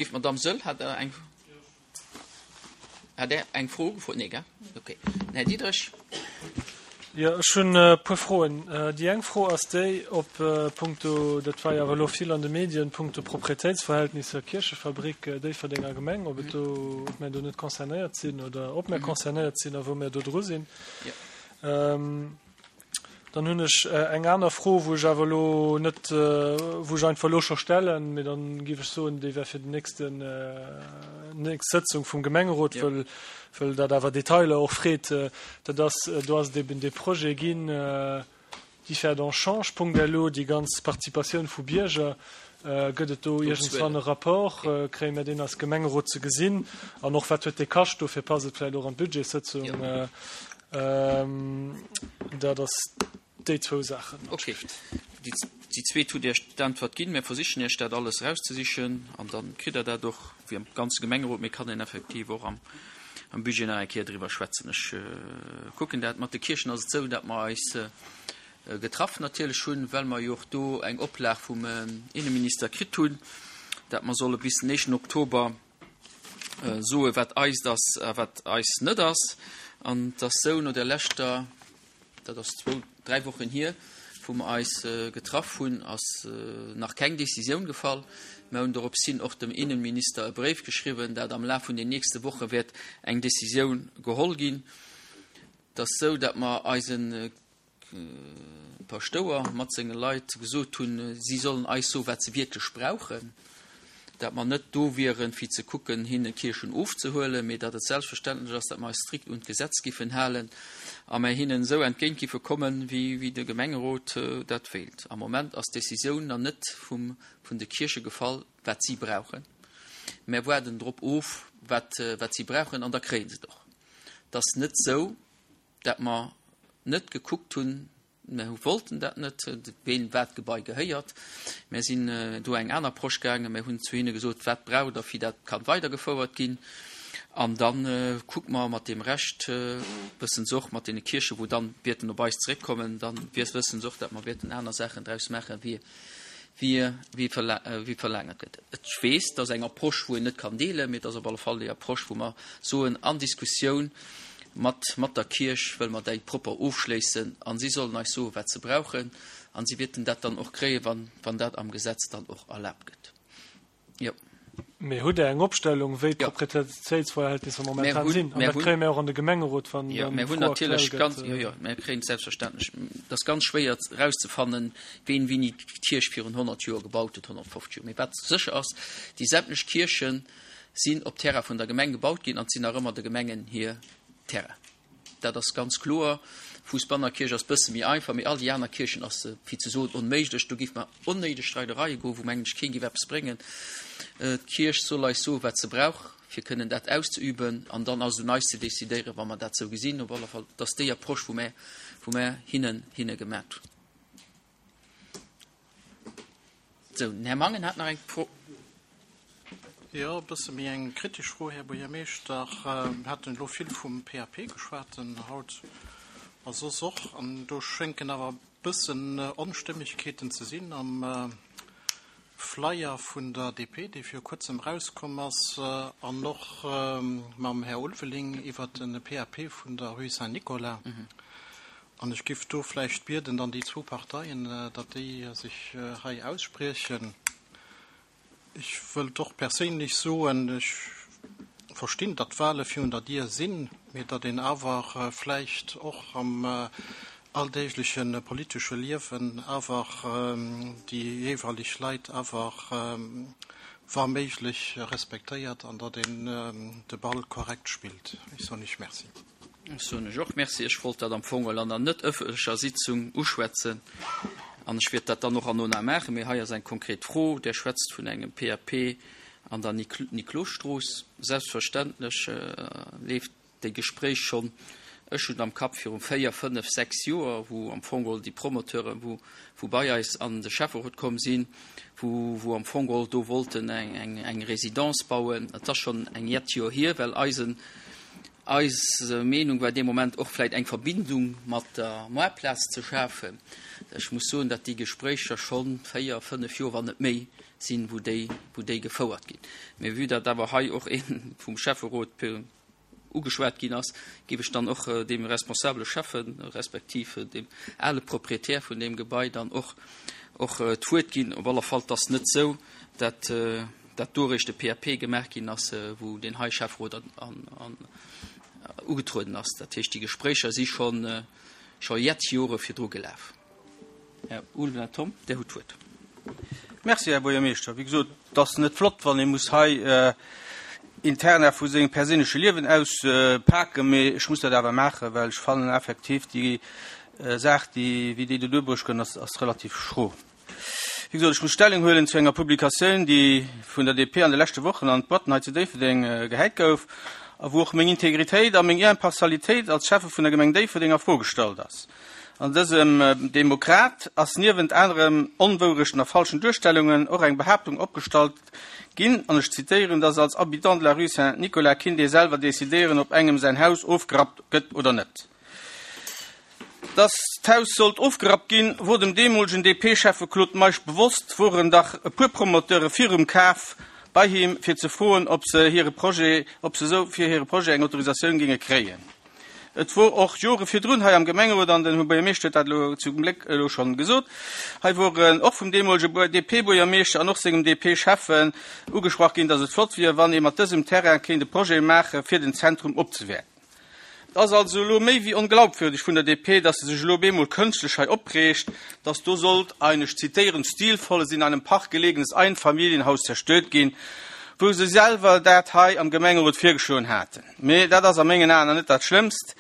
géif d'Madame Söll, hat Der eng, hat Der eng Fro gefrot? Nee, gell? Okay. Den Här Diderich. Jo, ech hunn e puer Froen. Déi eng Fro ass déi, ob punkto, dat war jo awer elo vill an de Medien, punkto Proprietéitsverhältnisser Kierchefabrik Déifferdenger Gemeng, ob et do, ob mär do net concernéiert sinn oder ob mär concernéiert sinn a wou mär do dru sinn. Dann hunn ech eng aner Fro, wou ech awer elo net, wou ech einfach elo scho stellen, mee dann géif ech soen, déi wär fir den nächsten, nächst Sëtzung vum Gemengerot, wëll, wëll dat awer Detailer och freet. Dat ass, do ass et eben dee Projet ginn, Differdange change. Punkt. Lu, déi ganz Participatioun vu Bierger. Gëtt et do iergendswann e Rapport? Kréie mir deen als Gemengerot ze gesinn? An och, wat huet dee kascht? Dofir passt et vläicht och an d'Budgetssëtzung. Dat ass déi zwou Saachen. Okay. Déi zweet hutt Iech d'Äntwert ginn. Mir versichen Iech dat alles erauszesichen an da kritt Der dat och, wéi am ganze Gemengerot. Mee kann een effektiv och am Budget nach eng Kéier driwwer schwätzen. Ech kucken dat. Mat de Kierchen ass et esou, datt mer eis getraff natierlech hunn, well mer jo och do eng Oplag vum Inneminister kritt hunn, datt mer solle bis den éischten Oktober soe wat eist ass a wat eis net ass. An et ass sou, no der leschter, dat ass zwou, dräi Wochen hier, wou mer eis getraff hunn, ass nach keng Décisioun gefall. Mer hunn dorops hin och dem Innenminister e Bréif geschriwwen, dat am Laf vun den nächste Woche wäert eng Décisioun geholl ginn. Et ass sou, datt mer eise Paschtouer mat senge Leit gesot hunn, si sollen eis soen, wat se wierklech brauchen, dat mer net do wieren, fir ze kucken, hinne Kierchen ofzehuelen, mee datt et selbstverständlech ass, datt mer eis strikt un d'Gesetz giffen halen a mer hinnen esou entgéint giffe kommen, wéi de Gemengerot dat wéilt. Am Moment ass d'Decisioun nach net vum, vun de Kierche gefall, wat si brauchen. Mer waarden drop of, wat, wat si brauchen, an da kréie se et och. Et ass net esou, dat mer net gekuckt hunn, mer wollten dat net, ween wat Gebai gehéiert. Mer sinn do eng aner Approche gaangen, mer hunn zu hinne gesot, wat braucht Der, fir dat kann weidergefouert ginn. An da kucke mer mat deem Rescht, wëssen se och, mat deene Kierchen, wou dann wäerten op eis zeréckkommen, dann wëssen se och, dat mer wäerten aner Saachen draus maachen, wéi wéi verlaangert gëtt. Ech weess, dat ass eng Approche, wou een net kann deelen, mee et ass op alle Fall déi Approche, wou mer soen, an Diskussioun mat mat der Kierch wëlle mer déi propper ofschléissen a si sollen eis soen, wat se brauchen a si wäerten dat dann och kréien, wann wann dat am Gesetz dann och erlaabt gëtt. Jo. Mee hutt Der eng Opstellung, wéi d'Proprietéitsverhältnisser momentan sinn? An dat kréie mir och an de Gemengerot, wann dann d'Fro aktuell gëtt. Jo, jo, mir kréien et selbstverständlech. Et ass ganz schwéier erauszefannen, ween wéini d'Kierch virun 100 Joer gebaut huet, 150 Joer. Mee wat sécher ass, déi sämtlech Kierche sinn op Terrain vun der Gemeng gebaut ginn an et sinn nach ëmmer de Gemengen hir Terrain. Dat ass ganz kloer. Fousbanner Kierch ass bësse méi einfach, mee all déi aner Kierchen ass, fir ze soen, onméiglech. Do géife mer onnéideg Streidereie goen, wou, mengen ech, keen géif eppes bréngen. D'Kierch soll eis soen, wat se brauch, fir kënnen dat auszeüben, an dann ass et un eis ze decidéieren, wa mer dat sou gesinn. Op alle Fall, dat ass déi Approche, wou mer, wou mer hinnen, hinne gemat hunn. Sou, den Här Mangen hat nach eng Fro. Jo, e bësse méi eng kritesch Fro, Här Buergermeeschter. Mir haten elo vill vum PAP geschwat haut a soss och. An do schéngen awer e bëssen Onstëmmegkeeten ze sinn am Flyer vun der DP, dee viru kuerzem erauskomm ass, an och mam Här Ulveling iwwert de PAP vun der Rue Saint-Nicolas. An ech giff do vläicht bieden, dann déi zwou Parteien, datt déi sech hei ausspriechen. Ech wëllt och perséinlech soen, ech verstinn, datt d'Wahle virun der Dier sinn, mee datt een awer vläicht och am alldeegleche politesche Liewen awer déi jeeweileg Leit awer wa méiglech respektéiert an datt een de Ball korrekt spillt. Ech soen Iech Merci. Ech soen lech och Merci. Ech wollt dat am Fong an der net ëffentlecher Sitzung uschwätzen an ech wäert dat dann och herno maachen. Mee hei ass eng konkret Fro. Der schwätzt vun engem PAP an der Niklosstrooss. Selbstverständlech leeft déi Gespréich schonn, ech hunn am Kapp, viru véier, fënnef, sechs Joer, wou am Fong geholl déi Promoteuren, wou, wou bei eis an de Schäfferot komm sinn, wou, wou am Fong geholl do wollten eng, eng, eng Résidence bauen. Et ass schonn eng jett Joer hier, well eisen. Eis Meenung war dee Moment och vläicht eng Verbindung mat der Moartplaz ze schafen. Ech muss soen, datt déi Gespréicher scho 4, 5 Joer, wann net méi, sinn, wou déi, wou déi gefouert ginn. Mee vue datt awer hei och ee vum Schäfferot ugeschwat ginn ass, géif ech dann och deem responsabele Schäffen, respektiv deem ale Proprietär vun deem Gebai dann och, och d'Wuert ginn. Op alle Fall, 't ass net esou, datt, datt do eréischt de PAP gemaach ginn ass, wou deen hei Schäfferot an, an, ugetrueden ass. Dat heescht, déi Gespréicher si schonn, scho jett Jore virdru gelaf. Här Ulveling Tom, Dir hutt d'Wuert. Merci, Här Buergermeeschter. Wéi gesot, et ass net flott, wann ee muss hei Interna vu sengem perséinleche Liewen auspaken, mee ech muss dat awer maachen, well ech fannen effektiv déi Saach, déi, wéi déi do duerbruecht gëtt, ass, ass relativ schro. Wéi gesot, ech muss Stellung huelen zu enger Publikatioun, déi vun der DP an de leschte Wochen an d'Boîten hei zu Déifferdeng gehäit gouf a wou och meng Integritéit a meng Impartialitéit als Schäffe vun der Gemeng Déifferdeng a Fro gestallt ass. An dësem Demokrat ass niewent anerem Onwourechten a falschen Duerstellungen och eng Behaaptung opgestallt ginn, an ech zitéieren, dass als Habitant de la rue Saint-Nicolas kinnt ee selwer decidéieren, ob engem säin Haus ofgerappt gëtt oder net. Dass d'Haus sollt ofgerappt ginn, wor dem deemolegen DP-Schäffe Claude Meisch bewosst, woren dach e puer Promoteure virum Kaf bei him, fir ze froen, ob se hire Projet, ob se esou fir hire Projet eng Autorisatioun géinge kréien. Et wor och Jore virdrun hei am Gemengerot, an den Här Buergermeeschter huet dat elo zum Gléck elo schonn gesot, hei wor och vum deemolege DP-Buergermeeschter an och sengem DP-Schäffen ugesprach ginn, datt et flott wier, wann ee mat dësem Terrain kéint e Projet maache fir den Zentrum opzewäerten. Et ass also elo méi wéi onglaubwürdeg vun der DP, datt se sech elo op eemol kënschtlech hei opreegt, datt do sollt ein, ech zitieren, stilvolles, in einem Park gelegenes Einfamilienhaus zerstört ginn, wou se selwer dat hei am Gemengerot virgeschloen haten. Mee dat ass a mengen Aen net dat Schlëmmst.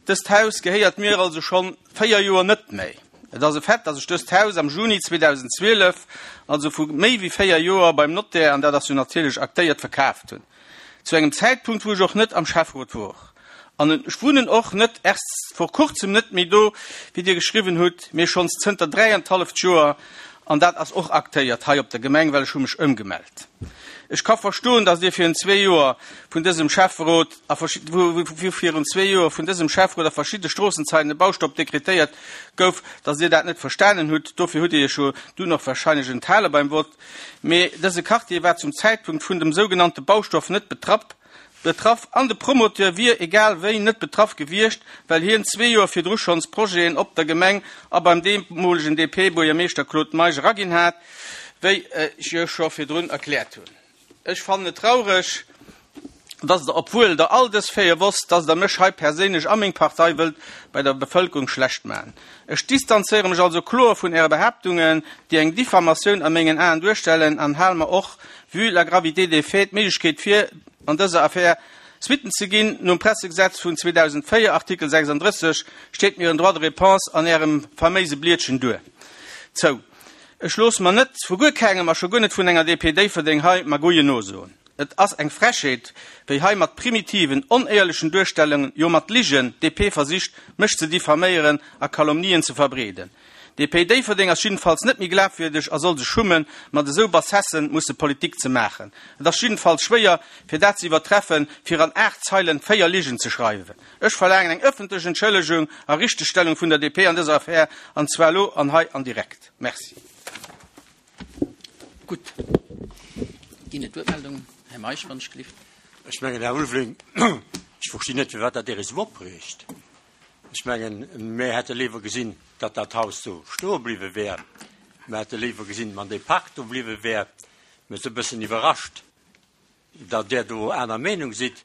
Dëst Haus gehéiert mir also schonn 4 Joer net méi. Et ass e Fait, dass ech dëst Haus am Juni 2012, also vu méi wéi 4 Joer, beim Notaire, an dat ass jo natierlech aktéiert, verkaaft hunn. Zu engem Zäitpunkt, wou ech och net am Schäfferot wor. An ech wunnen och net erst vor kurzem net méi do, wéi Dir geschriwwen hutt, mee schonns zënter dräiantalleft Joer. An dat ass och aktéiert hei op der Gemeng, well ech hu mech ëmgemellt. Ech ka verstoen, datt Dir virun zwee Joer vun dësem Schäfferot a wou virun zwee Joer vun dësem Schäfferot a verschidde Stroossenzeiten e Baustopp dekretéiert gouf, datt Dir dat net verstanen hutt. Dofir hutt Dir Iech jo dunn och wahrscheinlech enthale beim Vott. Mee dëse Quartier war zum Zäitpunkt vun dem sougenannte Baustoff net betrapp. Betraff an de Promoteur wier egal wéi net betraff gewiescht, well hien zwee Joer virdru schonns Projeten op der Gemeng a beim deemolegen DP-Buergermeeschter Claude Meisch eraginn hat, wéi ech jo scho virdrun erkläert hunn. Ech fannen et traureg, dass Der, obwuel Der all dës Faite wosst, dass Der mech hei perséinlech a meng Partei wëllt bei der Bevëlkerung schlecht maachen. Ech distanzéiere mech also kloer vun Äre Behaaptungen, déi eng Diffamatioun a mengen Aen duerstellen, an hale mer och, vue la gravité des faits, d'Méiglechkeet vir, an dëser Affär Suitten ze ginn. Nom Pressegesetz vun 2004, Artikel 36, steet mir en Droit de réponse an Ärem faméise Blietchen duer zou. Ech loosse mer net vu guer kengem, a scho guer net vun enger DP Déifferdeng hei Magouillen nosoen. Et ass eng Frechheet, wéi hei mat primitiven, onéierlechen Duerstellungen, jo mat Ligen, d'DP versicht, mech ze diffaméieren a Calomnien ze verbreeden. DP Déifferdeng ass jiddefalls net méi glafwierdeg a soll sech schummen, mat esou Bassessen musse Politik ze maachen. Et ass jiddefalls schwéier, fir dat ze iwwertreffen, fir an 8 Zeilen 4 Ligen ze schreiwen. Ech verlaangen eng ëffentlech Entschëllegung a Richtegstellung vun der DP an dëser Affär, an zwar elo an hei an direkt. Merci. Gutt. Ginn et Wuertmeldungen? Här Meisch, wann ech gelift. Ech mengen, Här Ulveling, ech verstinn net, firwat dat Iech esou opreegt. Ech mengen, mir hätte léiwer gesinn, datt dat Haus do stoe bliwwe wär. Mir hätte léiwer gesinn, wann dee Park do bliwwe wär. Mir si e bëssen iwwerrascht, datt Der do aner Meenung sidd,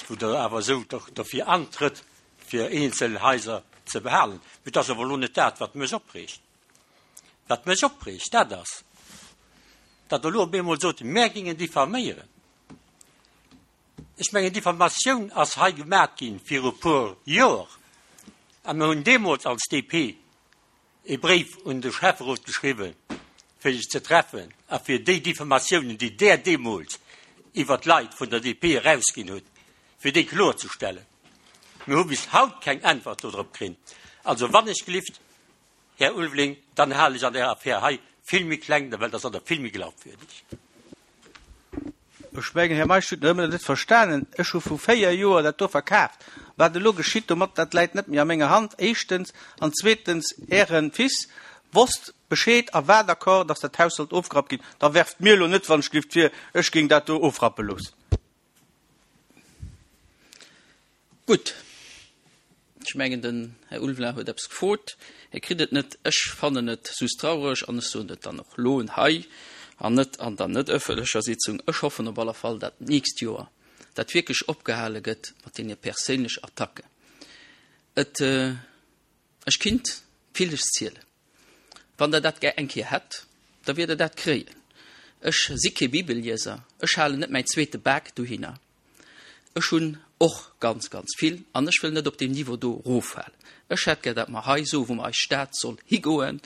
wou Der awer esou derfir antrëtt, fir eenzel Haiser ze behalen. Mee et ass awer elo net dat, wat mech opreegt. Wat mech opreegt, dat ass, datt Der elo op eemol sot, mär géingen diffaméieren. Ech mengen, Diffamatioun ass hei gemat gi viru e puer Joer, a mir hunn deemools als DP e Bréif un de Schäfferot geschriwwen, fir sech ze treffen a fir déi Diffamatiounen, déi Der deemools iwwert d'Leit vun der DP erausginn hutt, fir déi kloerzestellen. Mir hu bis haut keng Äntwert dodrop krinn. Also wann ech gelift, Här Ulveling, dann halen ech an där Affär hei vill méi kleng, well da sidd Der vill méi glaubwürdeg. Ech mengen, Här Meisch huet nach ëmmer net verstanen, ech hu vu 4 Joer dat do verkaaft. Wat elo geschitt domat, dat läit net méi a menger Hand, éischtens. An zweetens, Äre Fils wosst Bescheed a war d'accord, dass dat Haus sollt ofgerappt ginn. Da werft mir elo net, wann ech gelift, vir, ech géing dat do ofrappe loossen. Gutt. Ech mengen, den Här Ulveling huet eppes gefrot. Hie kritt et net. Ech fannen et sus traureg an ech soen et dann och elo hei an net an der net ëffentlecher Sitzung, Ech hoffen op alle Fall, dat d'nächst Joer dat wierklech opgehale gëtt mat deene perséinlech Attacken. Et, ech kinnt villes zielen. Wann Der dat gär eng Kéier hätt, da wiert Der dat kréien. Ech si kee Bibellieser, ech halen net mäin zweete Bak dohinner. Ech hunn och ganz, ganz vill an ech wëll net op deem Niveau do eroffalen. Ech hätt gär, datt mer hei soen, wou mer eis Stad soll higoen,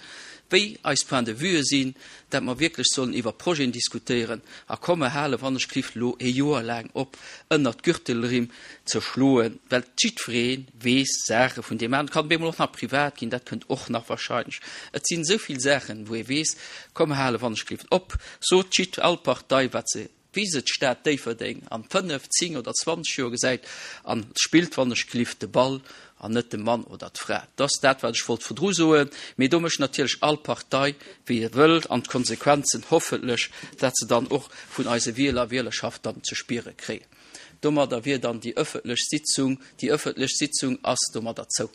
wéi eis Points de vue sinn, datt mer wierklech sollen iwwer Projeten diskutéieren a komme hale wann ech cliff elo ee Joer laang op ënnert d'Gürtelrimm ze schloen, well jiddweree weess Saache vun deem aneren. Et kann op eemol och nach privat ginn, dat kënnt och nach wahrscheinlech. Et sinn esou vill Saachen, wou ee weess, komm hale wann ech cliff op, sot jidd all Partei wat se wéi se d'Stad Déifferdeng an 5, 10 oder 20 Joer gesäit an spillt wann ech cliff de Ball an net de Mann oder d'Fra. Dat ass dat, wat ech wollt virdru soen. Mee do mécht natierlech all Partei, wéi e wëllt, an d'Konsequenzen hoffentlech, dat se dann och vun eise Wieler a Wielerschaft dann ze spiere kréien. Domadder wier dann déi ëffentlech Sitzung, déi ëffentlech Sitzung ass domadder zou.